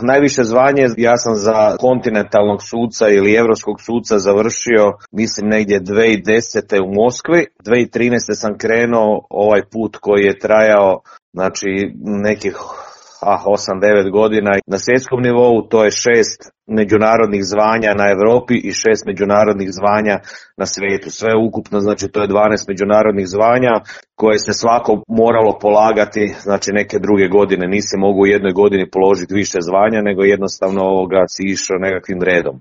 Najviše zvanje ja sam za kontinentalnog suca ili europskog suca završio, mislim negdje 2010. u Moskvi. 2013. sam krenuo ovaj put koji je trajao, znači nekih 8-9 godina. Na svjetskom nivou to je 6 međunarodnih zvanja na Europi i 6 međunarodnih zvanja na svijetu. Sve ukupno, znači to je 12 međunarodnih zvanja koje se svako moralo polagati, znači neke druge godine. Nisi mogu u jednoj godini položiti više zvanja, nego jednostavno si išao nekakvim redom.